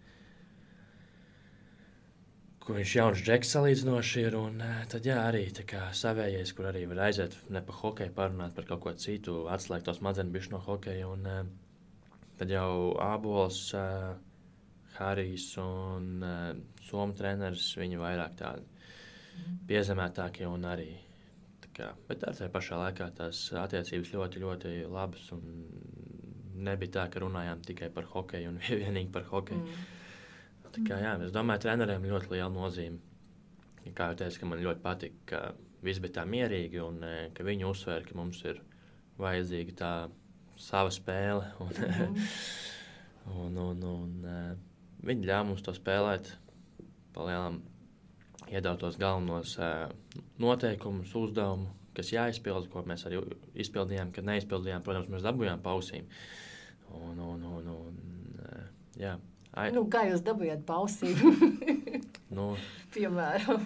kur viņš jauns džeks salīdzinoši ir, un uh, tad jā, arī tā kā savējais, kur arī var aiziet ne par hokeju parunāt, par kaut ko citu, atslēgt tos madzeni bišķi no hokeja, un uh, tad jau Ābols, uh, Harijs un uh, somu treneris, viņi vairāk tādi mm. piezemētākie un arī kā, bet ar tajā pašā laikā tās attiecības ļoti, ļoti labas un nebija tā, ka runājām tikai par hokeju un vienīgi par hokeju. Mm. Tā kā, jā, es domāju, treneriem ļoti liela nozīme. Kā jau teicu, ka man ļoti patika, ka viss bija tā mierīgi un ka viņi uzsver, ka mums ir vajadzīga tā sava spēle. Un, mm. un, un, un viņi ļāva mums to spēlēt pa lielām iedautos galvenos uh, noteikumus, uzdevumu, kas jāizpilda, ko mēs arī izpildījām, kad neizpildījām, protams, mēs dabūjām pausīm. Un, un, un, un uh, jā. Ai... Nu, kā jūs dabūjāt pausīm? nu, Piemēram.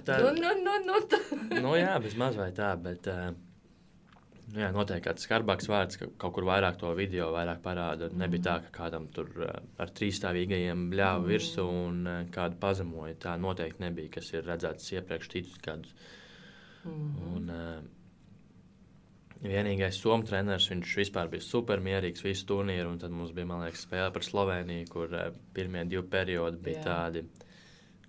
Tā, nu, nu, nu, nu, tā. nu, jā, bezmaz vai tā, bet uh, nu, jā, noteikti kāds skarbāks vārds, ka kaut kur vairāk to video vairāk parāda. Mm. Nebija tā, ka kādam tur uh, ar trīsstāvīgajiem bļāva mm. virsu un uh, kādu pazemoja. Tā noteikti nebija, kas ir redzēts iepriekš citus gadus. Mm. Un uh, vienīgais somu treneris, viņš vispār bija super mierīgs visu turnīru, un tad mums bija, man liekas, spēle par Sloveniju, kur uh, pirmie divi periodi bija Jā. tādi,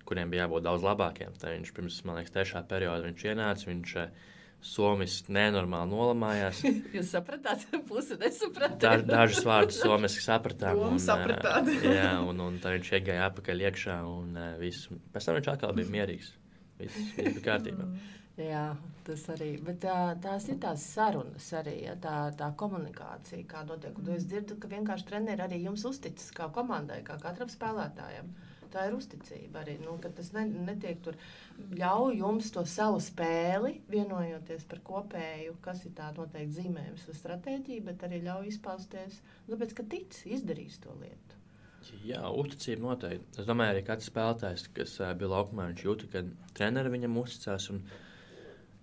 kuriem bija jābūt daudz labākiem. Tad viņš pirms, man liekas, trešā perioda viņš ienāca, viņš uh, somiski nenormāli nolamājās. Jūs sapratāt, pusi nesapratāt. Da, dažus vārdus somiski sapratām. Un, sapratāt. jā, un, un tad viņš iegāja apakaļ iekšā un uh, visu. Pēc tam viņš atkal bija mierīgs. Viss, viss bija kārtībā. Jā, tas arī. Bet tā, tās ir tās sarunas arī, ja, tā, tā komunikācija, kā notiek. Un es dzirdu, ka vienkārši treneri arī jums uzticas kā komandai, kā katram spēlētājam. Tā ir uzticība arī, nu, ka tas ne, netiek tur ļauj jums to savu spēli, vienojoties par kopēju, kas ir tā noteikti zīmējums vai stratēģija, bet arī ļauj izpausties, tāpēc, ka tic, izdarīs to lietu. Jā, uzticība noteikti. Es domāju, arī katrs spēlētājs, kas uh, bija laukumā, viņš jūta, ka treneri viņam uzticās. Un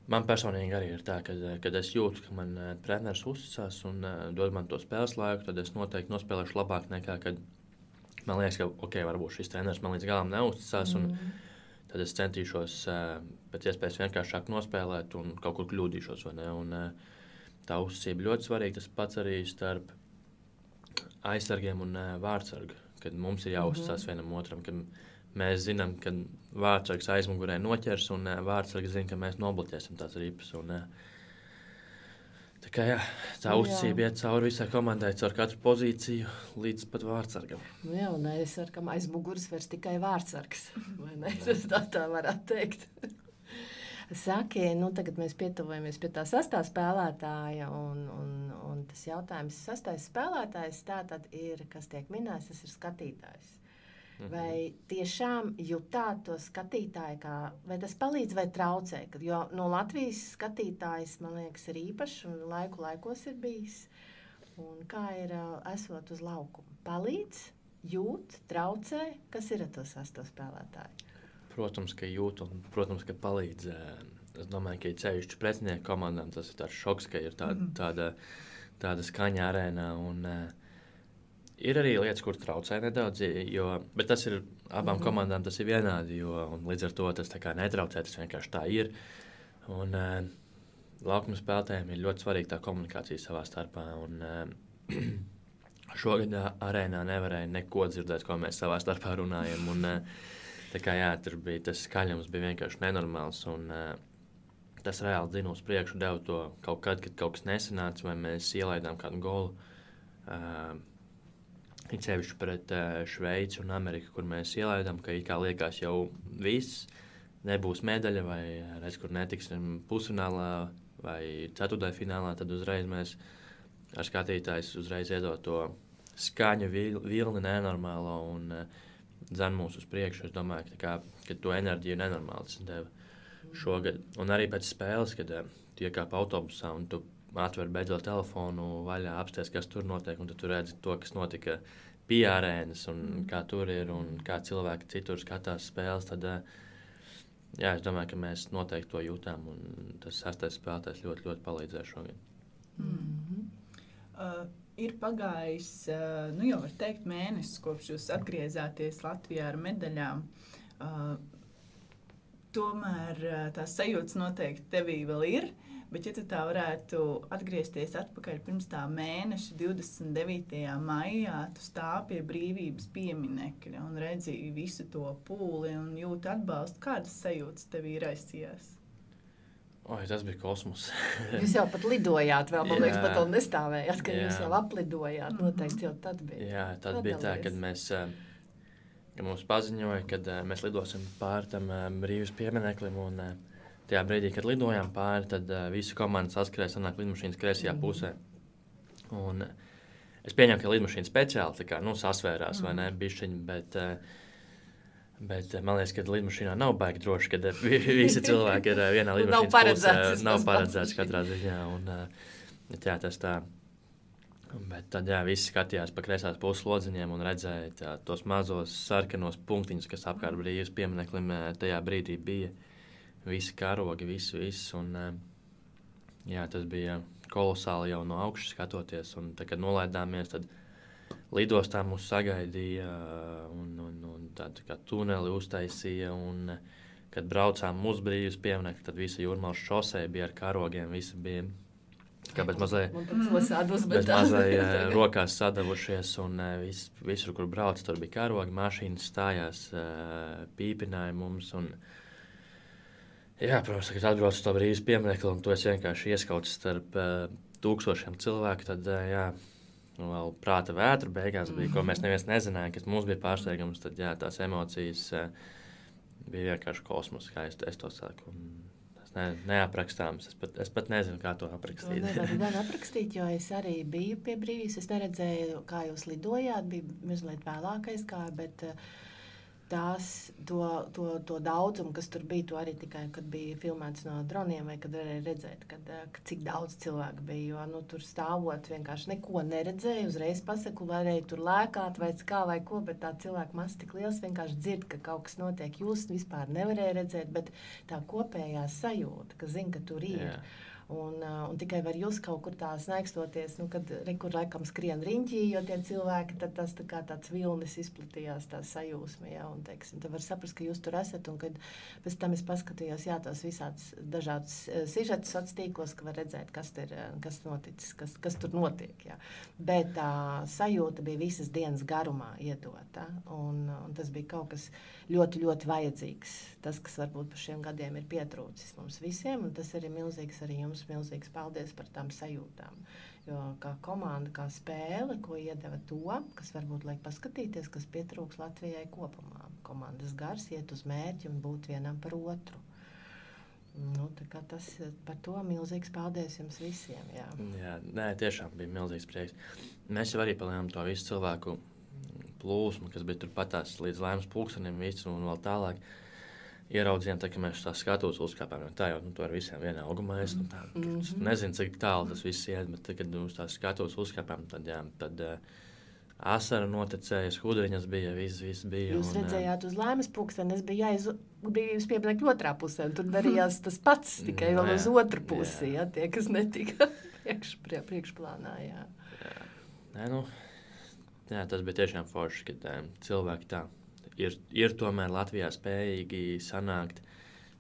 man personīgi arī ir tā, ka, kad es jūtu, ka man uh, treneris uzticās un uh, dod man to spēles laiku, tad es noteikti nospēlēšu labāk nekā, kad man liekas, ka, ok, varbūt šis treneris man līdz galam neuzticās. Mm. Un tad es centīšos uh, pēc iespējas vienkāršāk nospēlēt un kaut kur kļūdīšos. Vai ne? Un, uh, tā uzticība ļoti svarīga. Tas pats arī starp aizsargiem un uh, vārdsargu. Kad mums ir jāuzticās mm-hmm. vienam otram, kad mēs zinām, ka vārdsargs aizmugurē noķers un uh, vārdsargs zina, ka mēs nobloķēsim tās ripas. Un, uh, tā kā jā, tā uzticība iet cauri visai komandai, caur katru pozīciju līdz pat vārdsargam. Nu jā, un aizsargam aizmuguras vairs tikai vārdsargs, vai ne? Tas tā, tā varētu teikt. Saki, nu tagad mēs pietuvojamies pie tā sastā spēlētāja, un, un, un tas jautājums, sastais spēlētājs tātad ir, kas tiek minēts, tas ir skatītājs. Mm-hmm. Vai tiešām jutāt to skatītāju, kā, vai tas palīdz vai traucē? Jo no Latvijas skatītājs, man liekas, ir īpašs un laiku laikos ir bijis. Un kā ir esot uz laukumu? Palīdz, jūt, traucē? Kas ir ar to sasto spēlētāju? Protams, ka jūt un, protams, ka palīdz. Es domāju, ka ir ceļšķi pretinieku komandām. Tas ir tāds šoks, ka ir tāda, mm-hmm. tāda, tāda skaņa arēnā. Un, uh, ir arī lietas, kur traucē nedaudz, jo, bet tas ir abām mm-hmm. komandām tas ir vienādi, jo līdz ar to tas tā kā netraucē, tas vienkārši tā ir. Un uh, laukuma spēlētājiem ir ļoti svarīga tā komunikācija savā starpā. Un, uh, šogad uh, arēnā nevarēja neko dzirdēt, ko mēs savā starpā runājam. Un, uh, Tā kā jā, tur bija tas skaļums bija vienkārši nenormāls, un uh, tas reāli dzina uz priekšu, deva to kaut kad, kad kaut kas nesanāca, vai mēs ielaidām kādu golu. Uh, it sevišķi pret uh, Šveici un Ameriku, kur mēs ielaidām, ka it kā liekas jau viss, nebūs medaļa, vai redz, kur netiksim pusfinālā vai ceturtajā finālā, tad uzreiz mēs ar skatītājs uzreiz iedot to skaņu vilni nenormālo un uh, dzen mūs uz priekšu. Es domāju, ka, kā, ka to enerģiju nenormāli tas deva šogad. Un arī pēc spēles, kad uh, tu iekāp autobusā un tu atver beidzot telefonu vaļā, apsties, kas tur notiek, un tu redzi to, kas notika pie arēnas, un mm. kā tur ir, un kā cilvēki citur skatās spēles, tad uh, jā, es domāju, ka mēs noteikti to jūtām, un tas sastais spēlētājs ļoti, ļoti palīdzēja šogad. Mm-hmm. Uh, ir pagājis, uh, nu jau var teikt, mēnesis, kopš jūs atgriezāties Latvijā ar medaļām. Uh, tomēr uh, tās sajūtas noteikti tevī vēl ir, bet ja tu tā varētu atgriezties atpakaļ pirms tā mēneša, divdesmit devītajā maijā, tu stāv pie brīvības pieminekļa un redzi visu to pūli un jūti atbalstu, kādas sajūtas tevī raisījās? Oi, tas bija kosmos. Jūs jau pat lidojāt, vēl, man liekas, pat vēl nestāvējāt, ka jā. Jūs jau aplidojāt, noteikti jau tad bija. Jā, tad Padalies. Bija tā, kad mēs, kad mums paziņoja, kad mēs lidosim pāri tam brīvības piemineklim, un tajā brīdī, kad lidojām pāri, tad visa komanda saskrēja, sanāk lidmašīnas kreisajā mm. pusē. Un es pieņemu, ka lidmašīna speciāli tā kā, nu, sasvērās, mm. vai ne, bišķiņi, bet... Bet man liekas, ka lidmašīnā nav baigi droši, kad visi cilvēki ir vienā lidmašīnas nav paredzēts, pusē. Nav paredzēts katrā ziņā. Un, jā, tas tā. Bet tad jā, visi skatījās pa kreisās puses lodziņiem un redzēja tā, tos mazos sarkanos punktiņus, kas apkārt brīvības piemineklim tajā brīdī bija. Visi karogi, visu, visu. Un, jā, tas bija kolosāli jau no augšas skatoties. Un tad, kad nolaidāmies, tad lidostā mūs sagaidīja un, un, un tādu kā tuneli uztaisīja, un kad braucām uz brīvības pieminekli, tad visa Jūrmālas šosei bija ar karogiem, visi bija kā bez mazai, bez mazai rokās sadavušies, un vis, visur, kur brauc, tur bija karogi, mašīnas stājās, pīpināja mums, un jā, protams, kad atbrauc uz to brīvības pieminekli, un tu esi vienkārši ieskauts starp tūkstošiem cilvēku, tad jā, vēl prāta vētra beigās bija, ko mēs neviens nezinājām, kas mums bija pārsteigums, tad jā, tās emocijas uh, bija vienkārši kosmos, kā es, es to saku. Un tas, ne, neaprakstāms. Es pat, es pat nezinu, kā to aprakstīt. To nevaru gan aprakstīt, jo es arī biju pie brīvības. Es neredzēju, kā jūs lidojāt, bija mazliet vēlākais kā, bet tās, to, to, to daudzumu, kas tur bija, to arī tikai, kad bija filmēts no droniem, vai kad varēja redzēt, kad, kad cik daudz cilvēku bija, jo nu, tur stāvot vienkārši neko neredzēju, uzreiz pasaku, varēja tur lēkāt vai kā vai ko, bet tā cilvēku masa tik liels, vienkārši dzird, ka kaut kas notiek, jūs vispār nevarēja redzēt, bet tā kopējā sajūta, ka zin, ka tur ir. Jā. Un, un tikai var jūs kaut kur tā snaikstoties, nu, kad rekur laikam skrien riņķī, jo tie cilvēki, tad tas tā kā tāds vilnis izplatījās, tā sajūsma, jā, un, teiksim, tad var saprast, ka jūs tur esat, un kad pēc tam es paskatījos, jā, tos visāds dažādus sižetus sociālos tīklos, ka var redzēt, kas tur, kas noticis, kas, kas tur notiek, jā. Bet tā sajūta bija visas dienas garumā iedota, un, un tas bija kaut kas ļoti, ļoti vajadzīgs. Tas, kas varbūt par šiem gadiem ir pietrūcis mums visiem, un tas arī milzīgs arī jums milzīgs paldies par tām sajūtām. Jo kā komanda, kā spēle, ko iedeva to, kas varbūt liek paskatīties, kas pietrūks Latvijai kopumā. Komandas gars iet uz mērķi un būt vienam par otru. Nu, tā kā tas par to milzīgs paldies jums visiem. Jā, jā nē, tiešām bija milzīgs prieks. Mēs jau arī palējām to visu cilvēku plūsmu, kas bija turpatās līdz Laimas pulkstenim visu un vēl tālāk. Ieraudzījām, tā, ka mēs tā skatuves uzkāpām. Tā jau nu, to ar visiem vienā augumā es. Nu, tā, mm-hmm. Nezinu, cik tālu tas viss iet, bet tad, kad uz tās skatuves uzkāpām, tad, jā, tad uh, asara noticēja, skudriņas bija, viss, viss bija. Jūs un, redzējāt uz Laimas pulksteni, es biju jāiz, biju piebilekt otrā pusē, un tur darījās tas pats, tikai vēl uz otru pusi, jā. Jā, tie, kas netika priekš, prie, priekšplānā, jā. Jā. Nē, nu, jā, tas bija tiešām forši, kad um, cilvēki tā. Ir, ir tomēr Latvijā spējīgi sanākt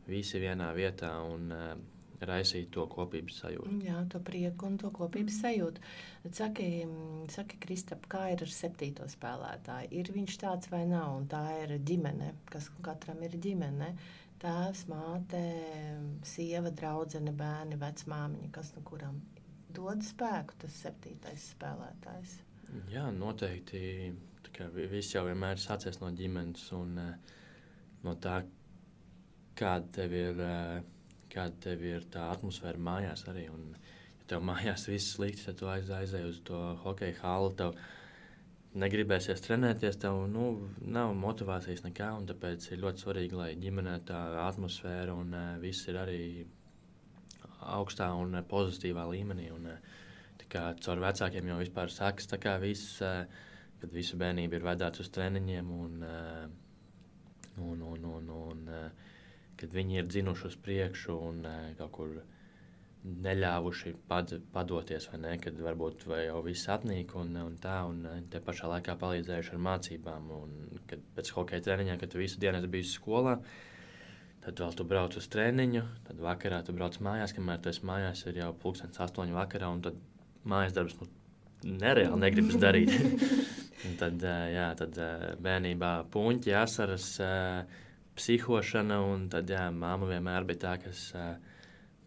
visi vienā vietā un uh, raisīt to kopības sajūtu. Jā, to prieku un to kopības sajūtu. Saki, saki Kristap, kā ir ar septīto spēlētāju? Ir viņš tāds vai nav? Un tā ir ģimene, kas katram ir ģimene. Tēvs, māte, sieva, draudzene, bērni, vecmāmiņa, kas no kuram dod spēku tas septītais spēlētājs? Jā, noteikti. Viss jau vienmēr sācies no ģimenes un uh, no tā, kāda tev ir, uh, kāda tev ir tā atmosfēra mājās arī. Un, ja tev mājās viss slikti, tad tu aiz, aizēji uz to hokeja halu, tev negribēsies trenēties, tev nu, nav motivācijas nekā, un tāpēc ir ļoti svarīgi, lai ģimenē tā atmosfēra un uh, viss ir arī augstā un uh, pozitīvā līmenī. Un, uh, tā kā caur vecākiem jau vispār sākas tā kā viss, uh, kad visu bērnību ir vedāts uz treniņiem un, un, un, un, un kad viņi ir dzinuši uz priekšu un kaut kur neļāvuši pad, padoties, vai ne, kad varbūt vai jau viss atnīk un, un tā, un te pašā laikā palīdzējuši ar mācībām. Un, kad pēc hokeja treniņiem, kad tu visu dienu esi bijis skolā, tad vēl tu brauc uz treniņu, tad vakarā tu brauc mājās, kamēr tu esi mājās, ir jau pulkstens astoņi vakarā, un tad mājas darbs nu, nereāli negribas darīt. Un tad, jā, tad bērnībā puņķi, asaras, psihošana, un tad jā, māma vienmēr bija tā, kas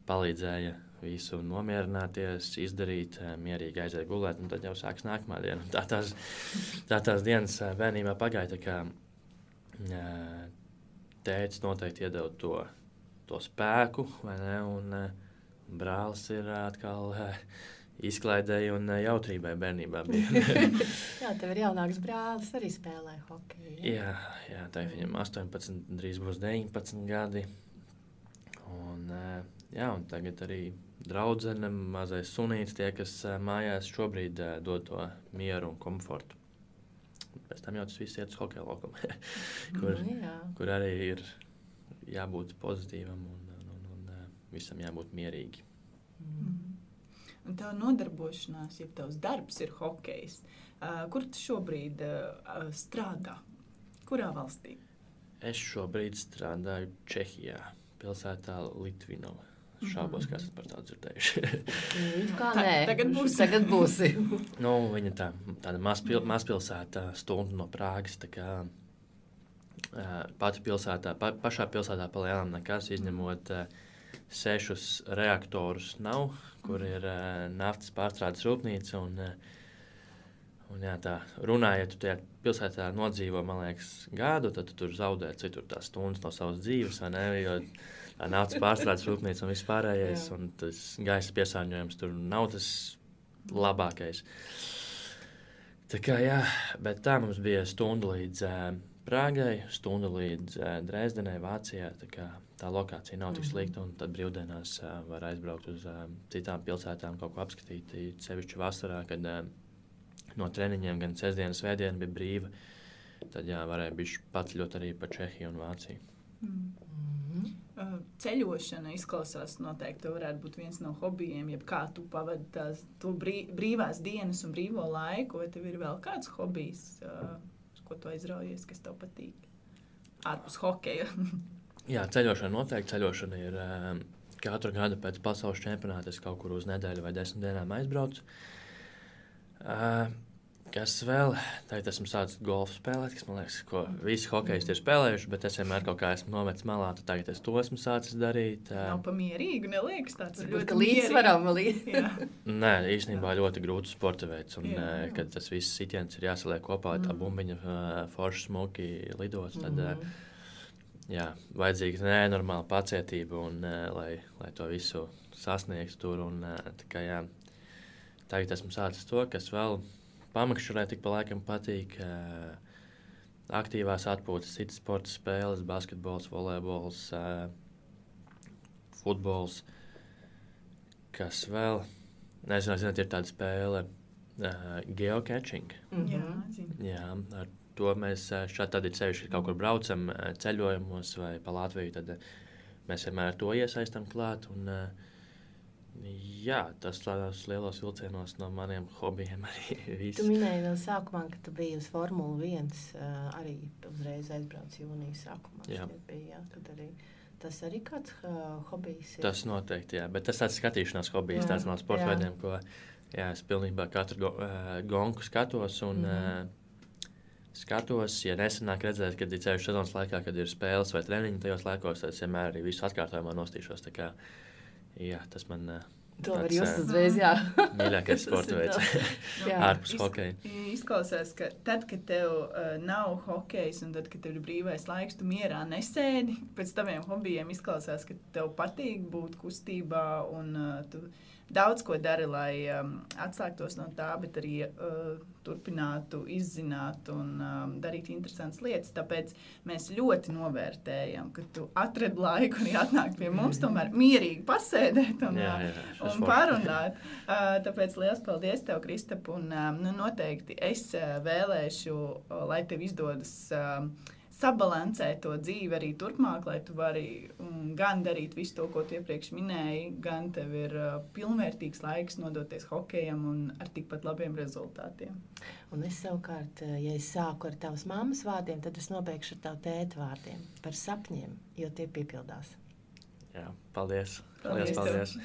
palīdzēja visu nomierināties, izdarīt, mierīgi aiziet gulēt, un tad jau sāks nākamā diena. Tā tās, tā tās dienas bērnībā pagāja, tā kā tētis noteikti iedeva to, to spēku, vai ne, un brālis ir atkal izklaidēji un jautrībai bērnībā bija. Jā, tev ir jaunāks brālis, arī spēlē hokeju. Jā, jā tā viņam astoņpadsmit, drīz būs deviņpadsmit gadi. Un, jā, un tagad arī draudzene, mazais sunīts, tie, kas mājās šobrīd dod to mieru un komfortu. Pēc tam jau tas viss iet uz hokeja laukumu, kur, mm, kur arī ir jābūt pozitīvam un, un, un, un visam jābūt mierīgi. Mm. Un tā nodarbošanās, ja tavs darbs ir hokejs, uh, kur tu šobrīd uh, strādā? Kurā valstī? Es šobrīd strādāju Čehijā, pilsētā Litvinova. Šābos, kā esat par tādu dzirdējuši. Kā nē, tagad būs. Tagad būsi. Nu, viņa tā, tāda mazpil, mazpilsēta stundu no Prāgas, tā kā uh, pati pilsētā, pa, pašā pilsētā pa lielām nekas, izņemot uh, sešus reaktorus nav, kur ir uh, naftas pārstrādes rūpnīca. Un, uh, un, jā, tā, runājot, tu tajā pilsētā nodzīvo, man liekas, gadu, tad tu tur zaudē citur tās stundas no savas dzīves, vai ne? Jo naftas pārstrādes rūpnīca un viss pārējais. Un tas gaisa piesārņojums tur nav tas labākais. Tā kā jā, bet tā mums bija stunda līdz uh, Prāgai, stunda līdz uh, Dresdenai, Vācijā. Tā, kā, tā lokācija nav tik slikta, un tad brīvdienās uh, var aizbraukt uz uh, citām pilsētām, kaut ko apskatīt. Sevišķi vasarā, kad uh, no treniņiem gan sestdiena, svētdiena bija brīva, tad jā, varēja bišķi paceļot arī pa Čehiju un Vāciju. Mm. Mm-hmm. Uh, ceļošana izklausās noteikti varētu būt viens no hobijiem, jeb kā tu pavadi tās to brī, brīvās dienas un brīvo laiku, vai tev ir vēl kāds hobijs, uh, ko tu aizraujies, kas tev patīk? Ārpus hokeja. Jā, ceļošana noteikti. Ceļošana ir uh, katru gadu pēc pasaules čempionāta es kaut kur uz nedēļu vai desmit dienām aizbraucu. Uh, Kas vēl? Tagad esmu sācis golfu spēlēt, kas man liekas, ko visi hokejisti ir spēlējuši, bet es vienmēr kaut kā esmu nometis malā, tad tagad es to esmu sācis darīt. Nav pamierīgi, neliekas tāds Tas ļoti līdzsvaram. Nē, īstenībā ļoti grūts sporta veids, un jā, jā. Kad tas viss sitiens ir jāsaliek kopā, tā bumbiņa forši smuki lidos, tad mm. jā, vajadzīga nenormāla pacietība, un, lai, lai to visu sasniegtu tur. Un, tā kā, jā, tagad esmu sācis to, kas vēl pamakšķurē tik pa laikam patīk. Aktīvās atpūtas, citas sporta spēles, basketbols, volejbols, futbols. Kas vēl? Nezinu, zināt, ir tāda spēle geocaching. Mm-hmm. Jā, ar to mēs šādi tad ir sevišķi kaut kur braucam ceļojumos vai pa Latviju, tad mēs vienmēr ar to iesaistam klāt. Un, jā, tas tādās lielos vilcienos no maniem hobijiem arī viss. Tu minēji vēl sākumā, ka tu biji uz Formula viens, uh, arī uzreiz aizbrauc jūnijas sākumā. Jā. Bija, jā, tad arī, tas arī kāds uh, hobijs ir? Tas noteikti, jā, bet tas tāds skatīšanās hobijs, tāds no sporta veidiem, ko jā, es pilnībā katru go, uh, gonku skatos un mm-hmm. uh, skatos, ja nesenāk redzēt, kad ir ceļš sezonas laikā, kad ir spēles vai treniņi tajos laikos, tad es vienmēr arī visu atkārtojumā nostīšos, tā kā jā, tas man to var just uzreiz, jā. mīļākais sporta veids ārpus hokeja. Izklausās, ka tad, kad tev uh, nav hokejs un tad, kad tev ir brīvais laiks, tu mierā nesēdi. Pēc taviem hobijiem izklausās, ka tev patīk būt kustībā un uh, tu daudz ko dari, lai um, atslēgtos no tā, bet arī uh, turpinātu izzināt un um, darīt interesantas lietas. Tāpēc mēs ļoti novērtējam, ka tu atradi laiku arī atnākt pie mums, tomēr mierīgi pasēdēt un, jā, jā, un parunāt. Uh, tāpēc liels paldies tev, Kristap, un um, nu, noteikti es uh, vēlēšu, uh, lai tev izdodas uh, sabalansēt to dzīvi arī turpmāk, lai tu vari um, gan darīt visu to, ko tu iepriekš minēji, gan tev ir uh, pilnvērtīgs laiks nodoties hokejam un ar tikpat labiem rezultātiem. Un es savukārt, ja es sāku ar tavas mammas vārdiem, tad es nobeigšu ar tavu tēta vārdiem par sapņiem, jo tie piepildās. Jā, paldies. Paldies, paldies.